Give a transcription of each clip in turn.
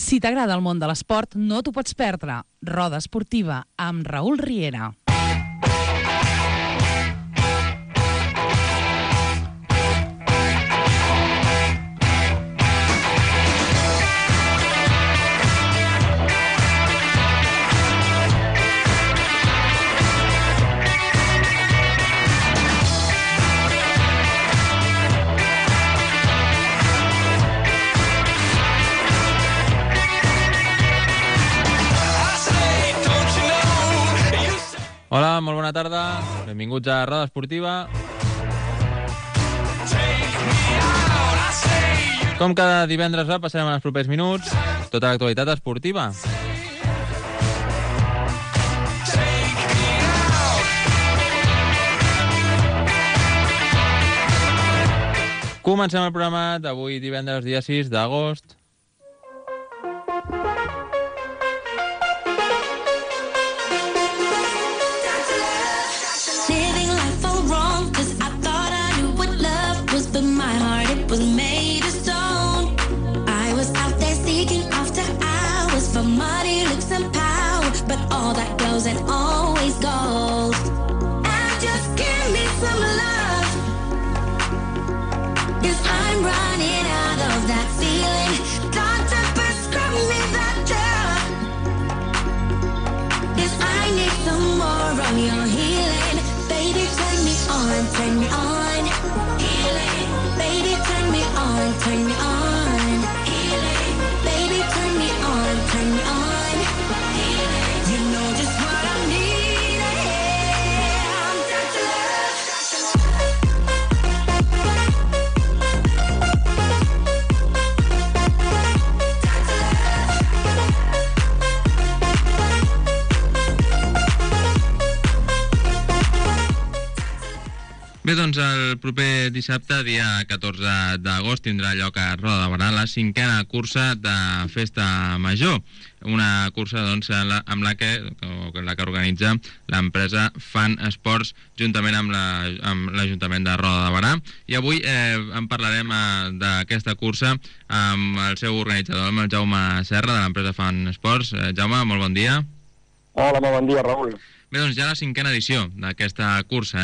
Si t'agrada el món de l'esport, no t'ho pots perdre. Roda Esportiva amb Raül Riera. Hola, molt bona tarda. Benvinguts a Roda Esportiva. Com cada divendres passarem en els propers minuts tota l'actualitat esportiva. Comencem el programa d'avui divendres, dia 6 d'agost. Was made of stone. I was out there seeking after hours for money, looks and power, but all that glows and always gold. And just give me some love, 'cause I'm running out of that feeling. Doctor, prescribe me that drug, 'cause I need some more of your healing. Baby, turn me on, turn me on. Healing. Baby, turn me on, turn me on. Healing. Baby, turn me on, turn me on. Healing. You know just what I need. I'm Dr. Bé, doncs el proper dissabte, dia 14 d'agost, tindrà lloc a Roda de Barà la 5a cursa de Festa Major. Una cursa doncs, amb la que organitza l'empresa Fan Esports juntament amb l'Ajuntament de Roda de Barà. I avui en parlarem d'aquesta cursa amb el seu organitzador, amb el Jaume Serra, de l'empresa Fan Esports. Jaume, molt bon dia. Hola, molt bon dia, Raül. Bé, doncs ja la 5a edició d'aquesta cursa,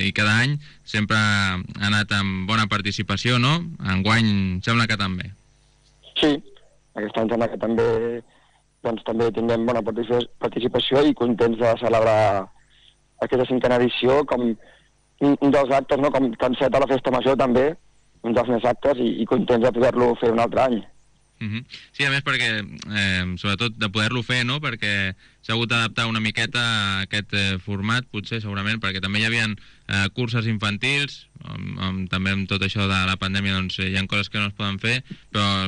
i cada any sempre ha anat amb bona participació, no? Enguany sembla que també. Sí, aquest any sembla que també tinguem bona participació i contents de celebrar aquesta 5a edició com un dels actes, no? Com enceta la Festa Major també, un dels més actes i contents de poder-lo fer un altre any. Sí, a més perquè, sobretot de poder-lo fer, no? Perquè s'ha hagut d'adaptar una miqueta a aquest format, potser, segurament, perquè també hi havia curses infantils, també amb tot això de la pandèmia doncs hi ha coses que no es poden fer, però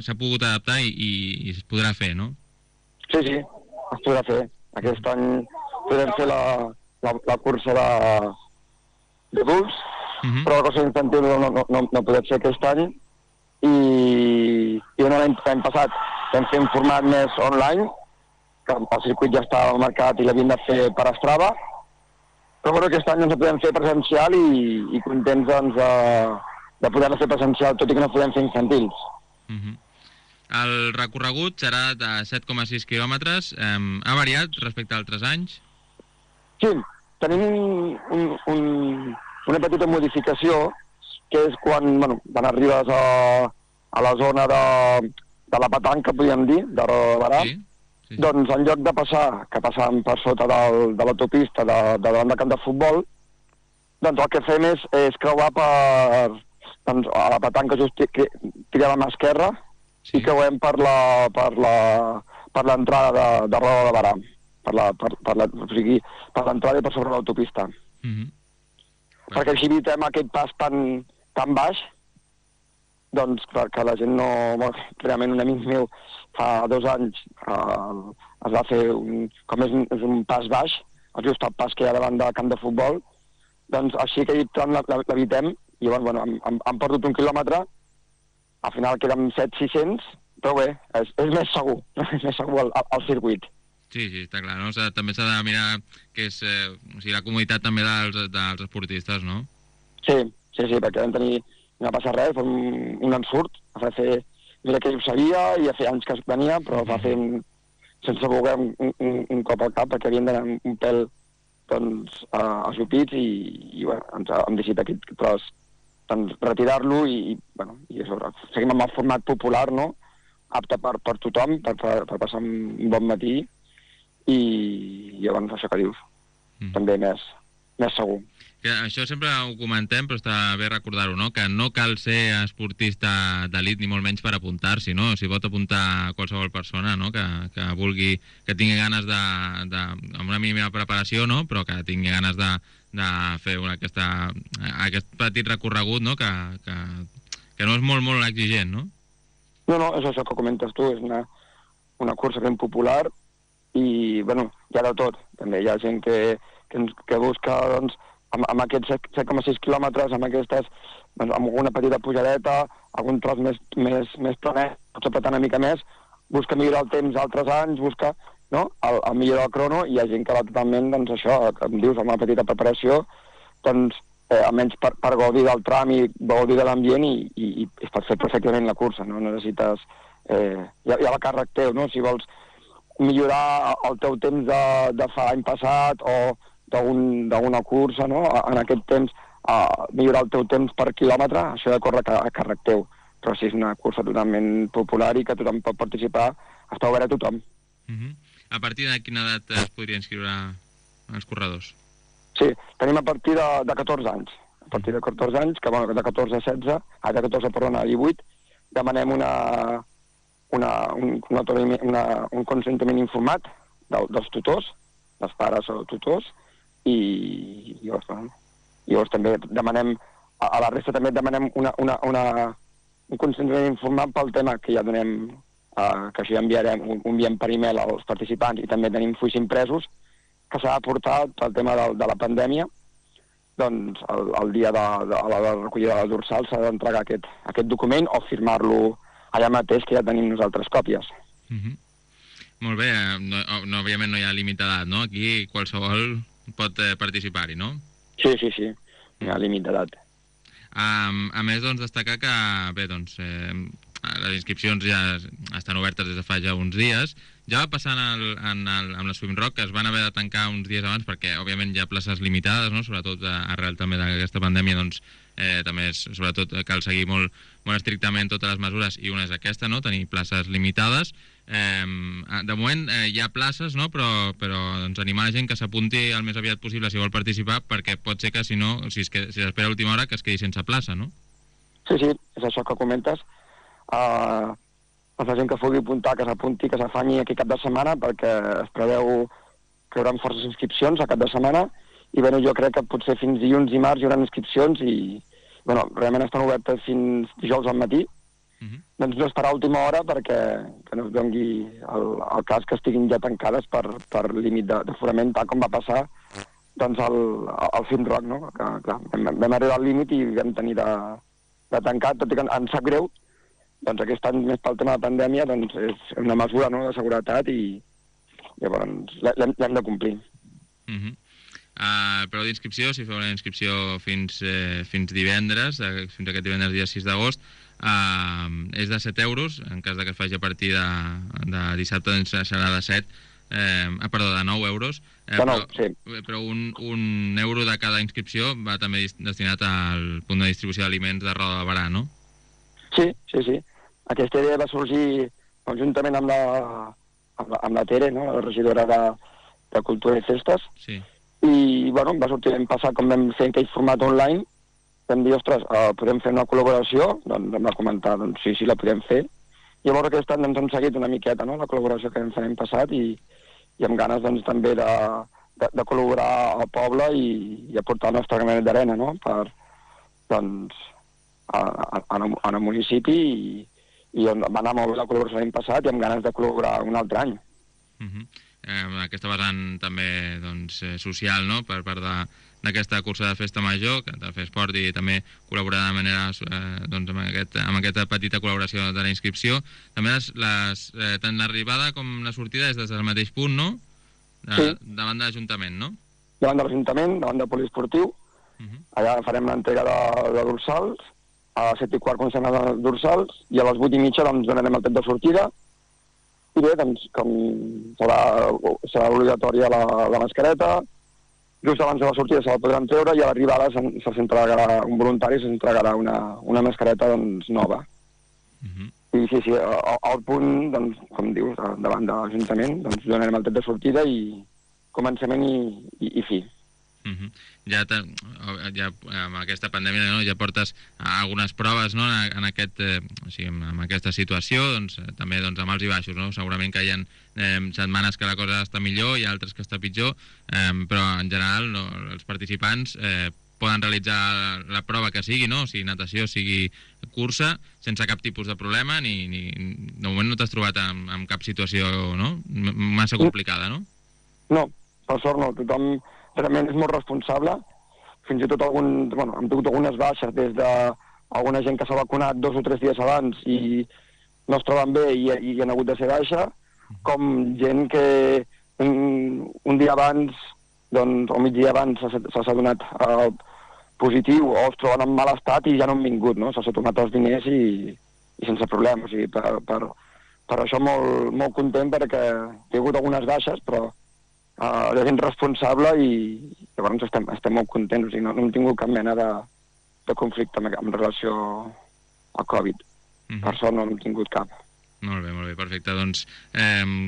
s'ha pogut adaptar i es podrà fer, no? Sí, es podrà fer. Aquest any podem fer la cursa d'adults, però la cursa infantil no podem fer aquest any. I l'any passat vam fer un format més online, que el circuit ja estava marcat i l'havíem de fer per Strava, però bueno, aquest any ens ho podem fer presencial i contents doncs, de poder-la fer presencial, tot i que no podem fer infantils. El recorregut serà de 7,6 quilòmetres. Ha variat respecte a altres anys? Sí, tenim una petita modificació, que és quan arribes a la zona de la petanca, podríem dir, de Roda de Barà, sí. Doncs en lloc de passar, que passàvem per sota de l'autopista de davant del camp de futbol, doncs el que fem és creuar a la petanca just tirem a mà esquerra, sí. I creuem per l'entrada de Roda de Barà, per l'entrada i per sobre l'autopista. Perquè així evitem aquest pas tan baix, doncs que la gent no... Realment un amic meu fa 2 anys es va fer com és un pas baix, just el pas que hi ha davant del camp de futbol, doncs així que l'evitem, i bueno, han perdut 1 quilòmetre, al final queden 700-600, però bé, és més segur, és més segur el circuit. Sí, està clar, no? També s'ha de mirar que és la comoditat també dels esportistes, no? Sí, perquè vam tenir... No passa res, fem un ensurt, a fer mira que ho sabia, i ja feia anys que es venia, però va fer sense voler un cop al cap, perquè havien d'anar un pèl doncs, ajupits i bueno, hem decidit aquest tros doncs, retirar-lo i això, seguim amb el format popular, no? Apte per tothom, per passar un bon matí i llavors això que dius, també més segur. Que això sempre ho comentem, però està bé recordar-ho, no? Que no cal ser esportista d'elit ni molt menys per apuntar-s'hi, no? S'hi pot apuntar qualsevol persona, no? Que vulgui, que tingui ganes amb una mínima preparació, no? Però que tingui ganes de fer aquest petit recorregut, no? Que no és molt exigent, no? No, és això que comentes tu, és una cursa ben popular i, bueno, hi ha de tot. També hi ha gent que busca, doncs, amb aquests 7,6 quilòmetres, amb aquestes, doncs, amb alguna petita pujadeta, algun tros més planet, potser apretar una mica més, busca millorar el temps altres anys, busca, no?, el millorar el crono, i hi ha gent que va totalment, doncs, això, com dius, amb una petita preparació, doncs, almenys per gaudir del tram i gaudir de l'ambient i es pot fer perfectament la cursa, no necessites... Hi ha la càrrec teu, no?, si vols millorar el teu temps de fa l'any passat o d'una cursa, no?, en aquest temps, millorar el teu temps per quilòmetre, això de córrer a càrrec teu. Però si és una cursa totalment popular i que tothom pot participar, està obert a tothom. A partir de quina edat es podria inscriure els corredors? Sí, tenim a partir de 14 anys. A partir de 14 anys, que bueno, de 14 a 16, de 14, perdona, a 18, demanem un consentiment informat dels tutors, dels pares o tutors, i llavors també demanem, a la resta també demanem un consentiment informat pel tema que ja donem, que això ja enviem per e-mail als participants, i també tenim fulls impresos que s'ha aportat el tema de la pandèmia. Doncs el dia de la recollida de la dorsal s'ha d'entregar aquest document o firmar-lo allà mateix, que ja tenim nosaltres còpies. Molt bé, òbviament no hi ha límit d'edat, no? Aquí qualsevol pot participar-hi, no? Sí, no hi ha límit d'edat. A més, doncs, destacar que, bé, doncs, les inscripcions ja estan obertes des de fa ja uns dies. Ja va passar amb la Swim Rock, que es van haver de tancar uns dies abans perquè, òbviament, hi ha places limitades, no? Sobretot arrel també d'aquesta pandèmia, doncs, també sobretot cal seguir molt estrictament totes les mesures, i una és aquesta, no?, tenir places limitades. De moment hi ha places, no?, però doncs, animar la gent que s'apunti el més aviat possible si vol participar, perquè pot ser que, si no, si s'espera a última hora, que es quedi sense plaça, no? Sí, és això que comentes. La gent que vulgui apuntar, que s'apunti, que s'afanyi aquest cap de setmana, perquè es preveu que hi haurà forces inscripcions a cap de setmana, i bueno, jo crec que potser fins dilluns i març hi haurà inscripcions i bueno, realment estan obertes fins dijous al matí. Doncs no esperar a última hora perquè que no es doni el cas que estiguin ja tancades per límit d'aforament, tal com va passar doncs al Swim Rock, no? Que, clar, vam arribar al límit i vam tenir de tancar, tot i que ens sap greu. Doncs aquest any, més pel tema de pandèmia, doncs és una mesura, no?, de seguretat i llavors l'hem de complir. El preu d'inscripció, si feu la inscripció fins divendres, fins aquest divendres dia 6 d'agost, és de 7 euros, en cas que es faci a partir de dissabte doncs serà de 9 euros. Però un euro de cada inscripció va també destinat al punt de distribució d'aliments de Roda de Barà, no? Sí. Aquesta idea va sorgir conjuntament amb la Tere, no?, la regidora de Cultura i Festes. Sí. I, bueno, va sortir l'any passat, com vam fer aquell format online, vam dir, ostres, podem fer una col·laboració? Doncs vam comentar, doncs sí, la podem fer. Llavors aquest any ens hem seguit una miqueta, no?, la col·laboració que vam fer l'any passat i amb ganes, doncs, també de col·laborar al poble i aportar el nostre granet d'arena, no?, per, doncs, en el municipi i on va anar molt bé la col·laboració l'any passat i amb ganes de col·laborar un altre any. Aquesta vessant també doncs, social, no?, per part d'aquesta cursa de festa major, que de fer esport i també col·laborar de manera doncs, amb aquesta petita col·laboració de la inscripció. També tant l'arribada com la sortida és des del mateix punt, no? Sí. Davant de l'Ajuntament, no? Davant de l'Ajuntament, davant del poliesportiu. Allà farem l'entrega de dorsals a les 7:15 comencem a les dorsals, i a les 8:30 doncs, donarem el tret de sortida. I bé, doncs, com serà obligatòria la mascareta, just abans de la sortida se la podran treure i a l'arribada se'ls entregarà, un voluntari se'ls entregarà una mascareta doncs, nova. I sí, al punt, doncs, com dius, davant de l'Ajuntament, doncs donarem el tret de sortida i començament i fi. Ja amb aquesta pandèmia, no? Ja portes algunes proves, no? en aquesta situació, doncs, també doncs, amb alts i baixos, no? Segurament que hi ha setmanes que la cosa està millor i altres que està pitjor, però en general no, els participants poden realitzar la prova que sigui, no? Sigui natació, sigui cursa, sense cap tipus de problema, de moment no t'has trobat amb cap situació, no? Massa complicada, no? No, per sort no, tothom realment és molt responsable, fins i tot hem tingut algunes baixes des d'alguna gent que s'ha vacunat 2 o 3 dies abans i no es troben bé i han hagut de ser baixa, com gent que un dia abans, doncs, o mig dia abans s'ha donat positiu o es troben en mal estat i ja no han vingut, no? S'ha tornat els diners i sense problema. O sigui, per això molt content perquè he hagut algunes baixes, però la gent responsable i llavors estem molt contents. O sigui, no hem tingut cap mena de conflicte en relació al Covid. Per sort no hem tingut cap. Molt bé, perfecte. Doncs,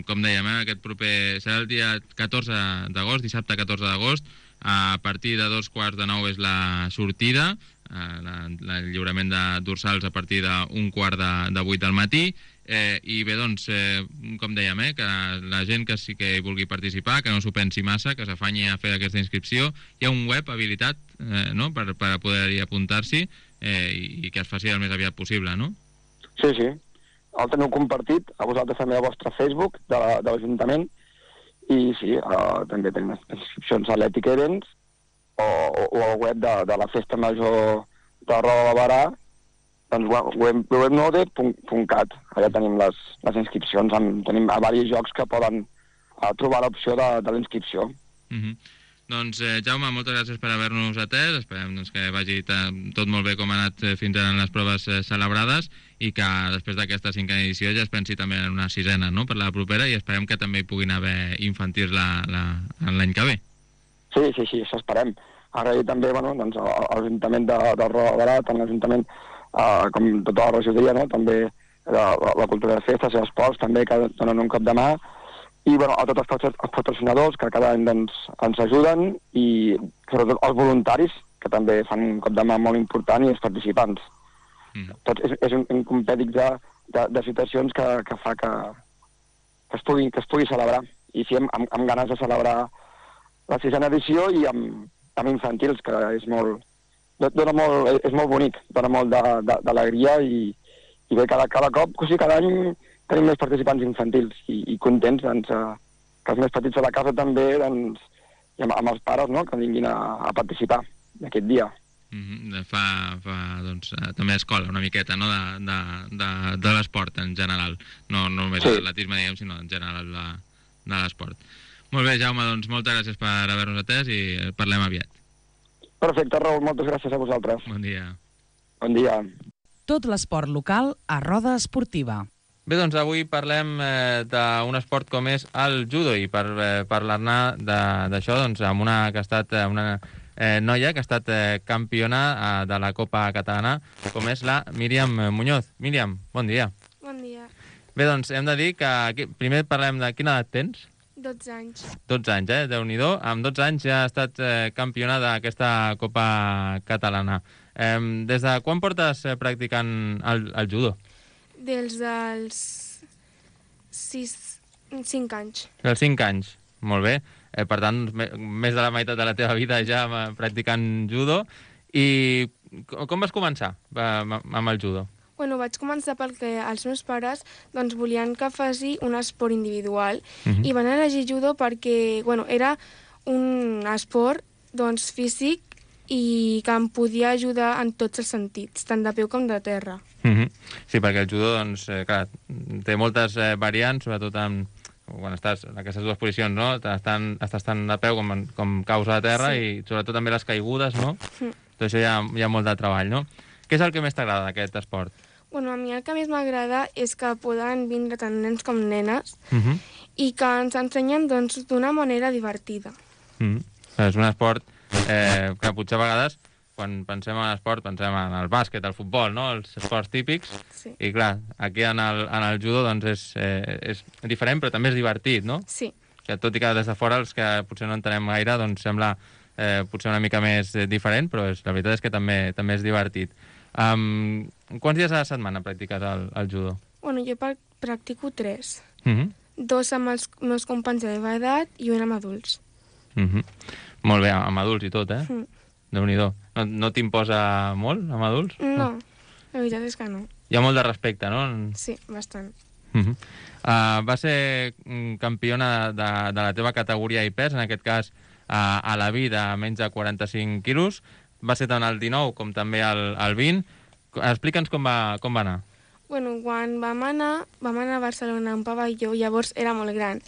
com dèiem, aquest proper serà el dia 14 d'agost, dissabte 14 d'agost, a partir de 8:45 és la sortida, el lliurament de dorsals a partir d'7:45 del matí, i bé, doncs, com dèiem, que la gent que sí que vulgui participar, que no s'ho pensi massa, que s'afanyi a fer aquesta inscripció. Hi ha un web habilitat, no?, per poder-hi apuntar-s'hi i que es faci el més aviat possible, no? Sí. El teniu compartit a vosaltres també al vostre Facebook de l'Ajuntament i sí, també tenim inscripcions a l'Ètic Events o al web de la Festa Major de Roda de Barà, doncs webnode.cat. Allà tenim les inscripcions, tenim a diversos jocs que poden trobar l'opció de la inscripció. Doncs, Jaume, moltes gràcies per haver-nos atès. Esperem que vagi tot molt bé com ha anat fins ara en les proves celebrades i que després d'aquesta 5a edició ja es pensi també en una 6a, no?, per la propera, i esperem que també hi puguin haver infantils l'any que ve. Sí, això esperem. Agrair també a l'Ajuntament de Roda de Barà, tant l'Ajuntament com tota la regidoria, no?, també la cultura de festes i esports, també que donen un cop de mà, i a tots els patrocinadors que cada any ens ajuden i sobretot els voluntaris que també fan un cop de mà molt important i els participants. Tot és un compèdic de situacions que fa que es pugui celebrar i sí, amb ganes de celebrar la 6a edició i amb infantils, que és molt bonic, dona molt d'alegria i bé, cada cop, o sigui, cada any tenim més participants infantils i contents que els més petits de la casa també, i amb els pares, no?, que vinguin a participar aquest dia. Fa també escola una miqueta, no?, de l'esport en general, no només l'atletisme, diguem, sinó en general de l'esport. Molt bé, Jaume, doncs moltes gràcies per haver-nos atès i parlem aviat. Perfecte, Raül, moltes gràcies a vosaltres. Bon dia. Bon dia. Tot l'esport local a Roda Esportiva. Bé, doncs avui parlem d'un esport com és el judo i per parlar-ne d'això doncs, amb una noia que ha estat campiona de la Copa Catalana, com és la Míriam Muñoz. Míriam, bon dia. Bon dia. Bé, doncs hem de dir que primer parlem de quina edat tens? 12 anys. 12 anys, Déu-n'hi-do. Amb 12 anys ja ha estat campiona d'aquesta Copa Catalana. Des de quan portes practicant el judo? Dels 5 anys. Dels 5 anys, molt bé. Per tant, més de la meitat de la teva vida ja practicant judo. I com vas començar amb el judo? Bueno, vaig començar perquè els meus pares volien que faci un esport individual i van elegir judo perquè era un esport físic i que em podia ajudar en tots els sentits, tant de peu com de terra. Sí, perquè el judo clar, té moltes variants, sobretot quan estàs en aquestes dues posicions, no? Estàs tant de peu com caus a la terra i sobretot també les caigudes, no? Tot això hi ha molt de treball, no? Què és el que més t'agrada d'aquest esport? Bueno, a mi el que més m'agrada és que poden vindre tant nens com nenes i que ens ensenyen doncs, d'una manera divertida. És un esport que potser a vegades, quan pensem en l'esport, pensem en el bàsquet, el futbol, no? Els esports típics. Sí. I clar, aquí en el judo doncs, és diferent, però també és divertit, no? Sí. Que tot i que des de fora els que potser no entenem gaire doncs sembla potser una mica més diferent, però la veritat és que també és divertit. Quants dies a la setmana practiques el judo? Bueno, jo practico 3. 2 amb els meus companys de la meva edat i un amb adults. Molt bé, amb adults i tot, Déu-n'hi-do. No t'imposa molt, amb adults? No, la veritat és que no. Hi ha molt de respecte, no? Sí, bastant. Va ser campiona de la teva categoria i pes, en aquest cas a la vida, a menys de 45 quilos. Va ser tant el 19 com també el 20. Explica'ns com va anar. Bueno, quan vam anar a Barcelona a un pavelló, llavors era molt gran.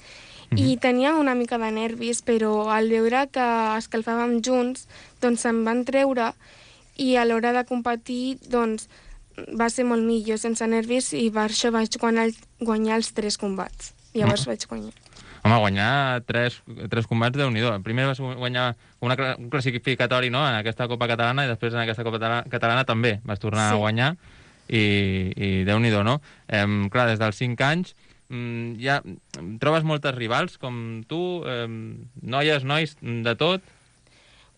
I teníem una mica de nervis, però al veure que escalfàvem junts, doncs se'n van treure i a l'hora de competir, doncs, va ser molt millor, sense nervis, i per això vaig guanyar els 3 combats. Llavors vaig guanyar. Home, guanyar 3 combats, Déu-n'hi-do. Primer vas guanyar un classificatori, no?, en aquesta Copa Catalana, i després en aquesta Copa Catalana també vas tornar a guanyar, i Déu-n'hi-do, no? Clar, des dels 5 anys ja trobes moltes rivals com tu, noies, nois, de tot?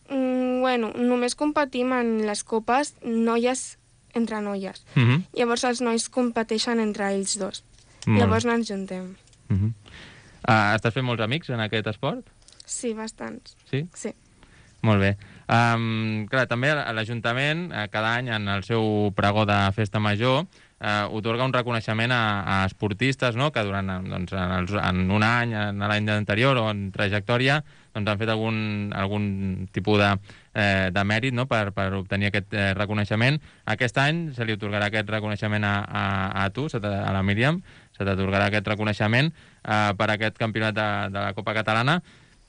Bueno, només competim en les copes noies entre noies. Llavors els nois competeixen entre ells dos. Llavors no ens juntem. Estàs fent molts amics en aquest esport? Sí, bastants. Sí? Sí. Molt bé. Clar, també l'Ajuntament, cada any en el seu pregó de Festa Major, otorga un reconeixement a esportistes, no?, que durant en un any, en l'any anterior o en trajectòria, doncs han fet algun tipus de mèrit, no?, per obtenir aquest reconeixement. Aquest any se li otorgarà aquest reconeixement a tu, a la Míriam, se t'atorgarà aquest reconeixement per aquest campionat de la Copa Catalana.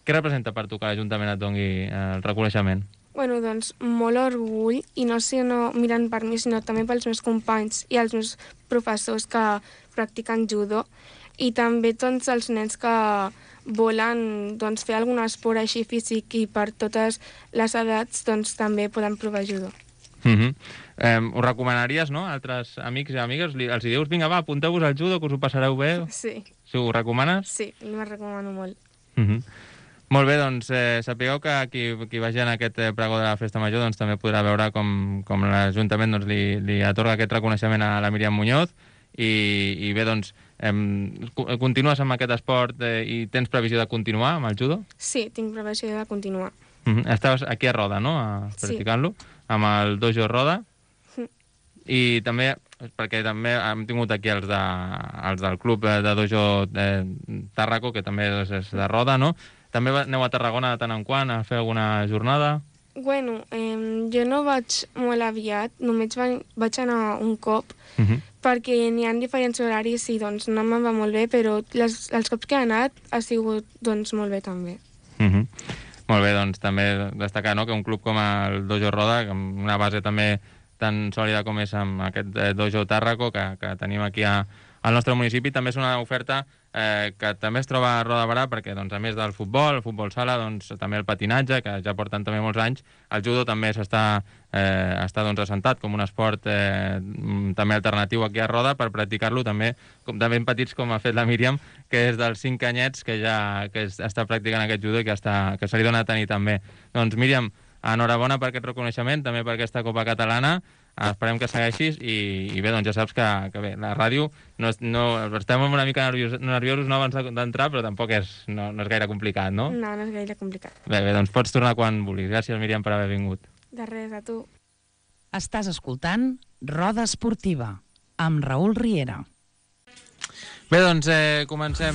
Què representa per tu que l'Ajuntament et doni el reconeixement? Bueno, doncs molt orgull, i no sé, no mirant per mi, sinó també pels meus companys i els meus professors que practiquen judo, i també tots els nens que volen doncs, fer algun esport així físic, i per totes les edats doncs, també poden provar judo. Ho recomanaries, no?, a altres amics i amigues? Els dius, vinga, va, apunteu-vos al judo, que us ho passareu bé? Sí. Si ho recomanes? Sí, me'l recomano molt. Molt bé, doncs sapigueu que qui vagi en aquest pregó de la Festa Major doncs, també podrà veure com l'Ajuntament doncs, li atorga aquest reconeixement a la Míriam Muñoz, i bé, doncs, continues amb aquest esport i tens previsió de continuar amb el judo? Sí, tinc previsió de continuar. Estaves aquí a Roda, no?, practicant-lo, amb el dojo Roda, i també, perquè també hem tingut aquí els del club de dojo Tàrraco, que també és de Roda, no? També aneu a Tarragona de tant en quant a fer alguna jornada? Bueno, jo no vaig molt aviat, només vaig anar un cop, perquè n'hi ha diferents horaris i doncs no me'n va molt bé, però els cops que he anat ha sigut doncs molt bé també. Molt bé, doncs també destacar, no?, que un club com el Dojo Roda, amb una base també tan sòlida com és amb aquest Dojo Tàrraco que tenim aquí al nostre municipi, també és una oferta que també es troba a Roda de Berà, perquè doncs, a més del futbol, el futbol sala, doncs, també el patinatge, que ja porten també molts anys, el judo també està doncs, assentat com un esport també alternatiu aquí a Roda, per practicar-lo també de ben petits, com ha fet la Míriam, que és dels 5 anyets que està practicant aquest judo i que se li dona a tenir també. Doncs Míriam, enhorabona per aquest reconeixement, també per aquesta Copa Catalana. Esperem que segueixis, i bé, doncs ja saps que bé, la ràdio estem una mica nerviosos abans d'entrar, però tampoc no és gaire complicat, no? No és gaire complicat. Bé, doncs pots tornar quan vulguis. Gràcies, Míriam, per haver vingut. De res, a tu. Estàs escoltant Roda Esportiva, amb Raül Riera. Bé, doncs comencem.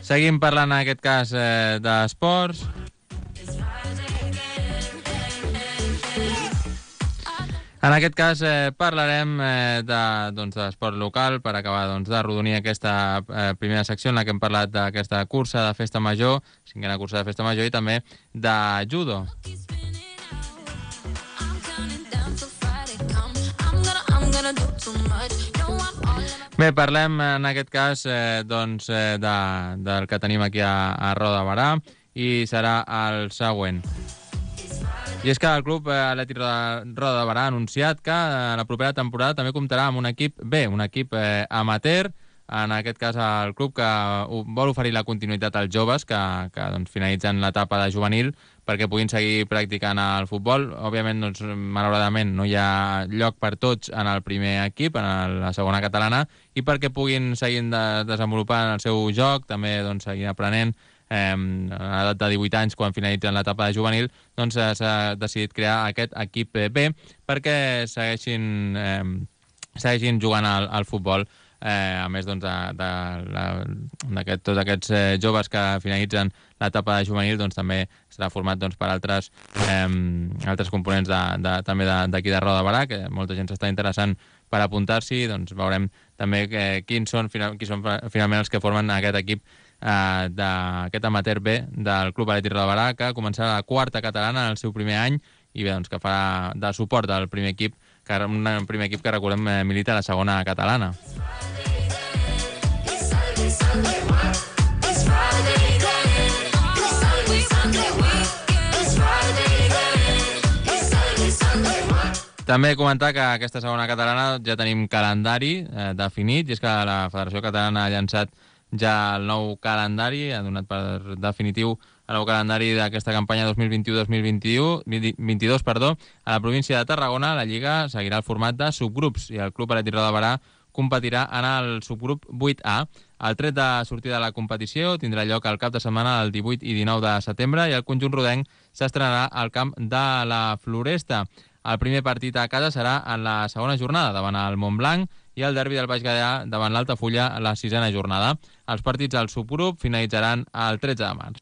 Seguim parlant, en aquest cas, d'esports. En aquest cas parlarem d'esport local, per acabar de arrodonir aquesta primera secció en la que hem parlat d'aquesta cursa de Festa Major, 5a cursa de Festa Major, i també de judo. Bé, parlem en aquest cas del que tenim aquí a Roda de Berà i serà el següent. I és que el club Atlètic Roda de Berà ha anunciat que la propera temporada també comptarà amb un equip B, un equip amateur, en aquest cas el club que vol oferir la continuïtat als joves que doncs, finalitzen l'etapa de juvenil perquè puguin seguir practicant el futbol. Òbviament, doncs, malauradament, no hi ha lloc per tots en el primer equip, en la segona catalana, i perquè puguin seguir desenvolupant el seu joc, també doncs, seguir aprenent a l'edat de 18 anys, quan finalitzen l'etapa de juvenil, doncs s'ha decidit crear aquest equip B perquè segueixin jugant al futbol. A més doncs, tots aquests joves que finalitzen l'etapa de juvenil doncs, també serà format doncs, per altres components també d'aquí de Roda de Berà, que molta gent s'està interessant per apuntar-s'hi. Doncs veurem també qui són finalment els que formen aquest equip d'aquest amateur B del Club Atlètic Roda de Berà, que començarà la quarta catalana en el seu primer any i bé, doncs, que farà de suport del primer equip, un primer equip que recordem milita a la segona catalana. També comentar que aquesta segona catalana ja tenim calendari definit, i és que la Federació Catalana ha llançat ja el nou calendari, ha donat per definitiu el nou calendari d'aquesta campanya 2021-2022. A la província de Tarragona, la Lliga seguirà el format de subgrups i el Club Atlètic Roda de Berà competirà en el subgrup 8A. El tret de sortida de la competició tindrà lloc al cap de setmana del 18 i 19 de setembre i el conjunt rodenc s'estrenarà al camp de la Floresta. El primer partit a casa serà en la segona jornada davant el Montblanc i el derbi del Baix Gaià davant l'Altafulla a la sisena jornada. Els partits al subgrup finalitzaran el 13 de març.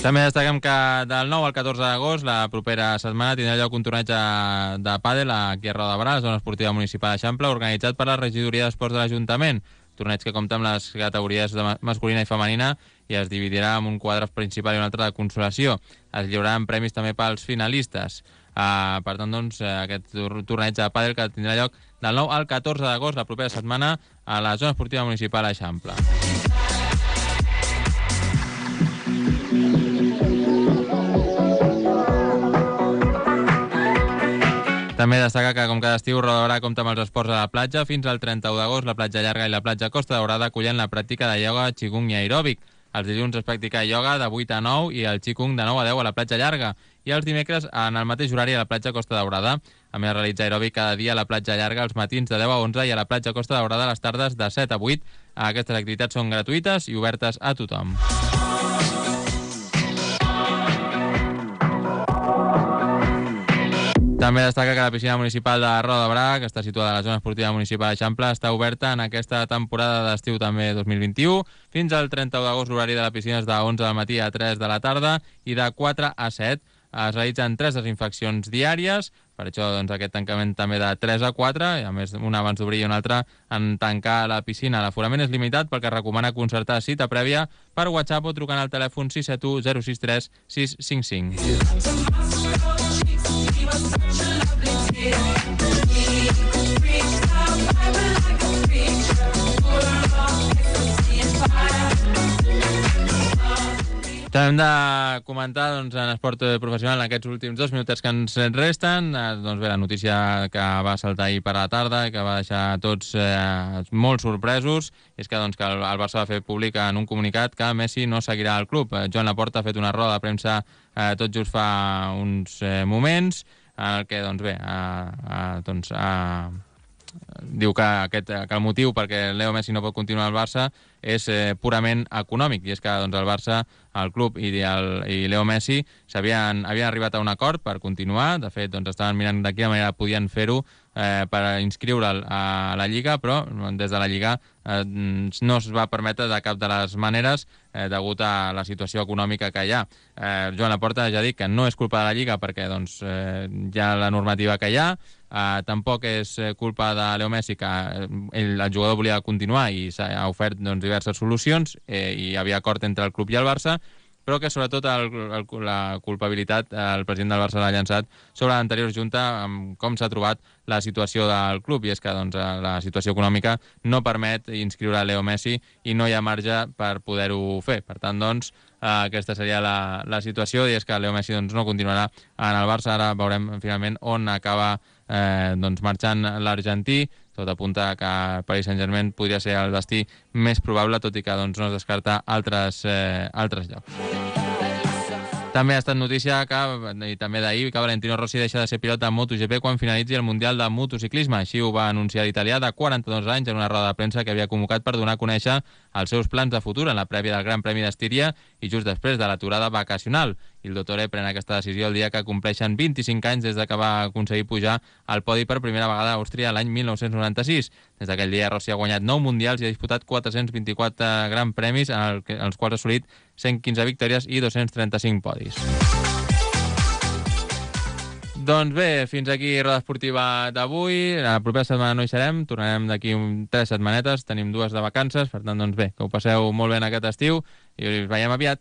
També destaquem que del 9 al 14 d'agost, la propera setmana, tindrà lloc un torneig de pàdel aquí a Roda de Berà, a la zona esportiva municipal d'Eixample, organitzat per la Regidoria d'Esports de l'Ajuntament. Torneig que compta amb les categories masculina i femenina i es dividirà en un quadre principal i un altre de consolació. Es lliuraran premis també pels finalistes. Per tant, doncs, aquest torneig de pàdel que tindrà lloc del 9 al 14 d'agost, la propera setmana, a la zona esportiva municipal d'Eixample. També destaca que, com cada estiu, Roda de Berà compta amb els esports a la platja. Fins al 31 d'agost, la platja llarga i la platja Costa Daurada acullen la pràctica de ioga, qigong i aeròbic. Els dilluns es practica ioga de 8 a 9 i el qigong de 9 a 10 a la platja llarga. I els dimecres, en el mateix horari, a la platja Costa Daurada. A més, realitza aeròbic cada dia a la platja llarga els matins de 10 a 11 i a la platja Costa Daurada les tardes de 7 a 8. Aquestes activitats són gratuïtes i obertes a tothom. També destaca que la piscina municipal de Roda de Berà, que està situada a la zona esportiva municipal d'Eixample, està oberta en aquesta temporada d'estiu també 2021. Fins al 31 d'agost l'horari de la piscina és de 11 del matí a 3 de la tarda i de 4 a 7. Es realitzen 3 desinfeccions diàries, per això doncs, aquest tancament també de 3 a 4, i a més una abans d'obrir i una altra en tancar la piscina. L'aforament és limitat perquè recomana concertar cita prèvia per WhatsApp o trucant al telèfon 671 063 655. També hem de comentar doncs, en esport professional en aquests últims 2 minutets que ens resten. Doncs bé, la notícia que va saltar ahir per la tarda i que va deixar tots molt sorpresos és que, doncs, que el Barça va fer públic en un comunicat que Messi no seguirà al club. Joan Laporta ha fet una roda de premsa tot just fa uns moments en el que doncs, bé, diu que el motiu perquè Leo Messi no pot continuar al Barça és purament econòmic, i és que doncs, el Barça, el club i Leo Messi havien arribat a un acord per continuar. De fet, doncs, estaven mirant de quina manera podien fer-ho per inscriure'l a la Lliga, però des de la Lliga no es va permetre de cap de les maneres degut a la situació econòmica que hi ha. Joan Laporta ja ha dit que no és culpa de la Lliga perquè doncs, hi ha la normativa que hi ha, tampoc és culpa de Leo Messi que el jugador volia continuar i s'ha ofert doncs, diverses solucions i hi havia acord entre el club i el Barça, però que sobretot la culpabilitat el president del Barça l'ha llançat sobre l'anterior junta amb com s'ha trobat la situació del club, i és que doncs, la situació econòmica no permet inscriure Leo Messi i no hi ha marge per poder-ho fer. Per tant, doncs, aquesta seria la situació, i és que Leo Messi doncs, no continuarà en el Barça. Ara veurem finalment on acaba doncs, marxant l'argentí. Tot apunta que Paris Saint-Germain podria ser el destí més probable, tot i que doncs, no es descarta altres llocs. També ha estat notícia i també d'ahir que Valentino Rossi deixa de ser pilot de MotoGP quan finalitzi el Mundial de Motociclisme. Així ho va anunciar l'italià de 42 anys en una roda de premsa que havia convocat per donar a conèixer els seus plans de futur en la prèvia del Gran Premi d'Estíria i just després de l'aturada vacacional. Il Dottore pren aquesta decisió el dia que compleixen 25 anys des de que va aconseguir pujar al podi per primera vegada a Àustria l'any 1996. Des d'aquell dia Rossi ha guanyat 9 mundials i ha disputat 424 Gran Premis, en els quals ha assolit 115 victòries i 235 podis. Doncs bé, fins aquí Roda Esportiva d'avui. La propera setmana no hi serem, tornarem d'aquí 3 setmanetes, tenim 2 de vacances, per tant, doncs bé, que ho passeu molt bé en aquest estiu i us veiem aviat.